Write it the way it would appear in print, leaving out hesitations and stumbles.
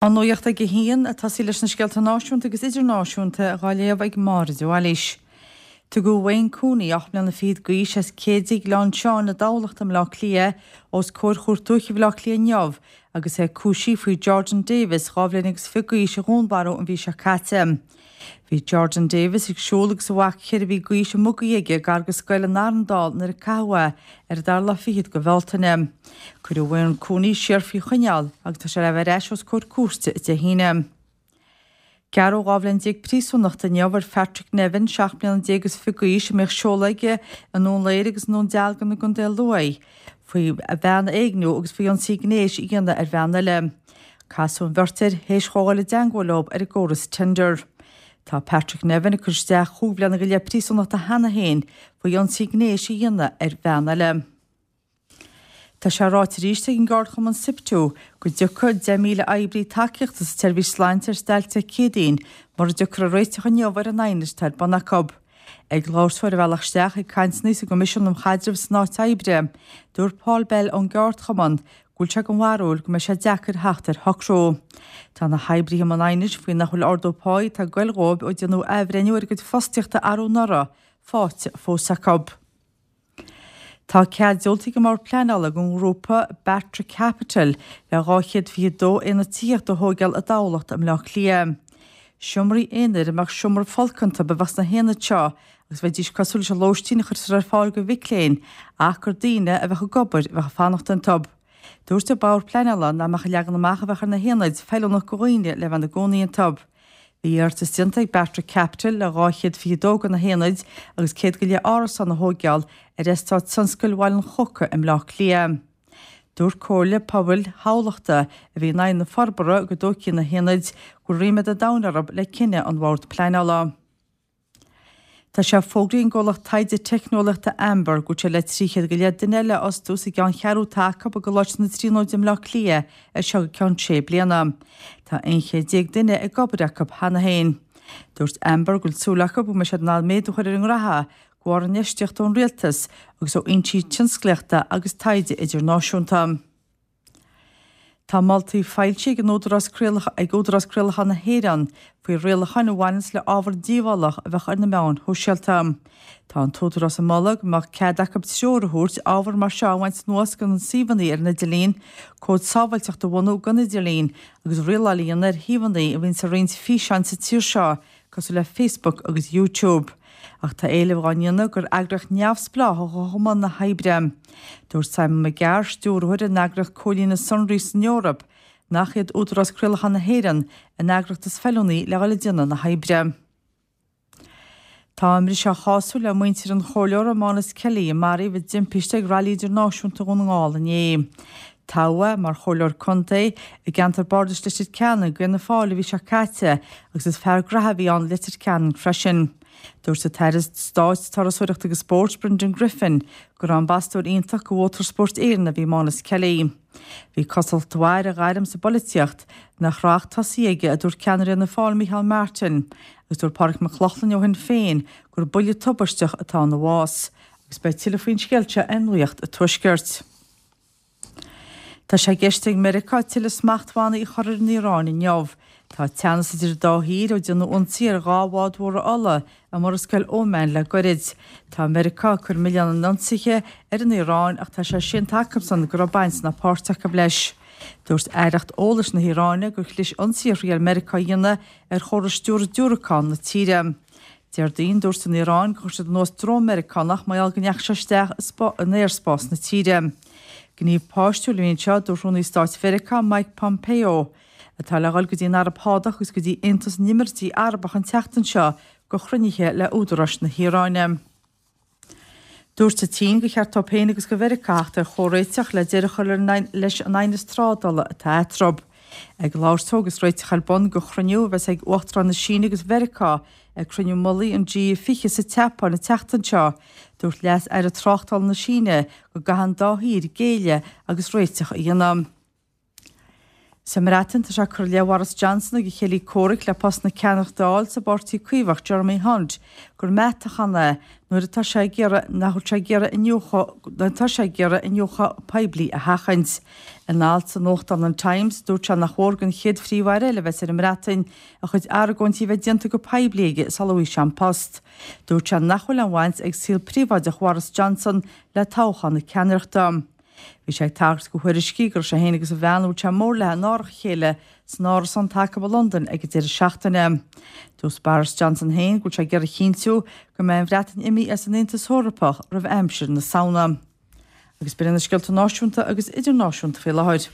An nuacht ag a haon, ag tosaí leis na scéalta náisiúnta agus idirnáisiúnta dhá léamh ag Máire de Bhailís. Tugadh Wayne Cooney, 8 mbliana fichead d'aois, as Céidigh, Gleann tSeáin i dTamhlacht i mBleá Cliath, os comhair Chúirt Dúiche Bhaile Átha Cliath inniu agus é cúisithe faoi Jordan Davis, 2 bhliain agus fiche d'aois, a dhúnmharú an mhí seo caite. Bhí Jordan Davis ag siúl agus a mhac cheithre mhí d'aois i mbugaí aige gar go scoil in Arndál nuair a caitheadh é ar an dara lá fichead de Bhealtaine. Cuireadh Wayne Cooney siar faoi choinneáil agus tá sé le bheith ar ais os comhair cúirte Dé hAoine. Gearradh 12 bhliain príosúnachta inniu ar Phatrick Nevin, 17 mbliana is fiche d'aois, a mbíodh seoladh aige i nDún Laoghaire agus i nDún Dealgan i gContae Lú, faoi bhean a éigniú agus faoi ionsaí gnéis a dhéanamh ar bhean eile. Casadh an bheirt air théis dhó dhul i dteangmháil leo ar an gcóras Tinder. Tá Patrick Nevin ag cur isteach chúig bhliana go leith príosúnachta cheana féin faoi ionsaí gnéis a dhéanamh ar bhean eile. Tá sé ráite arís ag an gceardchumann Siptu go dtiocfaidh 10,000 oibrí tacaíochta sa tseirbhís sláinte ar stailc Dé Céadaoin mura dtiocfar ar réiteach inniu ar an aighneas atá ar bun acu. Ag labhairt dó ar a bhealach isteach ag cainteanna sa gCoimisiún um Chaidreamh san Áit Oibre, dúirt Paul Bell ón gceardchumann go bhfuil sé den bharúil go mbeidh sé deacair theacht ar shocrú. Tá na hoibrithe i mbun aighnis faoi nach bhfuil ardú páí atá ag goil dhóibh ó déanadh athbhreithniú ar a gcuid fostaíochta arú anuraidh faighte fós acu. Tá cead diúltaithe ag an mBord Pleanála don ghrúpa Bartra Capital le 222 aonad tithíochta a thóigeáil i dTamhlacht i mBleá Cliath. Seomraí aonair a mbeadh seomra folctha iontu a bheadh sna haonaid seo agus bheidís cosúil leis an lóistín a chuirtear ar fáil do mhic léinn ach gur daoine a bheadh ag obair a bheadh ag fanacht iontu. Dúirt an Bord Pleanála nach mbeadh an leagan amach a bheadh ar na haonaid feiliúnach do dhaoine le bheith ina gcónaí iontu. Bhí iarratas déanta ag Bartra Capital le 222 de na haonaid agus 100 go leith árasán a thóigeáil ar eastát tionscail Bhaile an Choca i mBleá Cliath. Dúirt Comhairle Pobail Thamhlachta, a bhí in aghaidh na forbartha go dtógfaí na haonaid, go bhfuil ríméad an domhain orthu le cinneadh an Bhoird Pleanála. Tá sé fógraithe ag an gcomhlacht taighde teicneolaíochta Amber go bhfuil sé le 300 go leith duine eile a fhostú sa gceanncheathrú atá acu i gColáiste na Tríonóide i mBleá Cliath as seo go ceann sé bliana. Tá 11 chéad duine ag obair acu cheana féin. Dúirt Amber go bhfuil súil acu go mbeidh siad in ann méadú a chur ar a ngraithe de bharr infheistíocht ón rialtas agus ó fhoinsí tionsclaíochta agus taighde idirnáisiúnta. Tá moltaí foilsithe ag an Údarás ag Údarás Craolacháin na hÉireann faoi rialacháin a bhaineanns le ábhar díobhálach a bheadh ar na meáin shóisialta. Tá an tÚdarás ag moladh go mbeadh cead acu treoir a thabhairt ábhar mar seo a bhaint anuas de na suíomhanna ar an idirlíon, cód sábháilteachta a bhunú don idirlíon agus rialáil a dhéanamh ar shuíomhanna a bhíonns ag roinnt físeáin sa tír seo cosúil le Facebook agus YouTube. Ach tá éileamh dhá ndéanamh gur eagraíocht neamhspleách a ghabhfadh i mbun na hoibre. Dúirt Simon McGarr, stiúrthóir ar an eagraíocht Comhlíonadh Sonraí san Eoraip, nach iad Údarás Craolacháin na hÉireann an eagraíocht is feiliúnaí le dhul ag déanamh na hoibre. Tá a mbriseadh á chású le muintir an chomhairleora Mánas Kelly a maraíodh i dtimpiste ag Railí Idirnáisiúnta Dhún na nGall inné. Toghadh é mar chomhairleoir contae i gceantar bardais Leitir Ceanainn d'Fhianna Fáil an mhí seo caite agus is fear graithe a bhí ann Leitir Ceanainn freisin. Dúirt an tAire Stáit Turasóireachta agus Spóirt Brendan Griffin gur ambasadóir iontach do Mhótarspórt Éireann a bhí i Mánas Kelly. Bhí cosúlacht mhaith ar a ghairm sa bpolaitíocht nach raibh ach tosaithe aige, a dúirt ceannaire Fhianna Fáil Micheál Martin agus dúirt Pádraig Mac Lochlainn ó Shinn Féin gur buille tubaisteach atá ina bhás. Agus beidh tuilleadh faoin scéal seo ar Nuacht an Tuaiscirt. Tá sé i gceist ag Meiriceá tuilleadh smachtbhannaí a chur ar an Iaráin inniu. Tá teannas idir an dá thír ó déanadh ionsaí ar dhá bhád mhóra ola i Murascaill Óman le goirid. Tá Meiriceá ag cur milleán an ionsaithe ar an Iaráin ach tá sé séanta acusan go raibh baint ná páirt acu leis. Dúirt Aireacht Eolais na hIaráine gur chlis ionsaí a thriail Meiriceá a dhéanamh ar chóras stiúradh diúracán na tíre. Déardaoin, dúirt an Iaráin gur chuir siad anuas drón Meiriceánach mar gheall go ndeachaigh sé isteach in aerspás na tíre. Gníomh páistiúil a bhí anseo, a dúirt Rúnaí Stáit Mheiriceá, Mike Pompeo, atá le dhul go dtí an Araib Shádach agus go dtí Aontas na nÉimíríochtaí Arabach an tseachtain seo do chruinnithe le údaráis na hIaráine. Dúirt an tSín gur cheart dóibh féin agus do Mheiriceá theacht ar chomhréiteach le deireadh a chur leis an aighneas trádála atá eatarthu. Ag labhairt dó agus réiteach ar bun do chruinniú a bheas ag Uachtaráin na Síne agus Mheiriceá ag cruinniú mullaigh an G20 sa tSeapáin an tseachtain seo, dúirt Leas-Aire Tráchtála na Síne go gcaithfidh an dá thír géilleadh agus réiteach a dhéanamh. Sa mBreatain, tá sé curtha i leith Bhoris Johnson agus a chéilí comhraic le post na ceannaireachta a fháil sa bPáirtí Caomhach, Jeremy Hunt, gur meath-toghchán é nuair atá sé ag iarraidh nach bhfuil sé ag iarraidh iniúchadh nuair atá sé ag iarraidh iniúchadh poiblí a sheachaint. In alt sa nuachtán an Times, dúirt sé nach mhór don chéad Phríomh-Aire eile a bheas ar an mBreatain a chuid argóintí a bheith déanta go poiblí aige sula bhfaighidh sé an post. Dúirt sé nach bhfuil aon bhaint ag saol príobháideach Bhoris Johnson le toghchán na ceannaireachta. Bhí sé ag tagairt do thuairiscí go raibh sé féin agus a bhean a bhfuil sé mór léi in árach a chéile san árasán atá acu i Londain ag an deireadh seachtaine. Dúirt Boris Johnson féin go bhfuil sé ag iarraidh a chinntiú go mbeidh an Bhreatain imithe as an Aontas Eorpach roimh aimsir na Samhna. Agus b'in iad na scéalta náisiúnta agus idirnáisiúnta faoi láthair.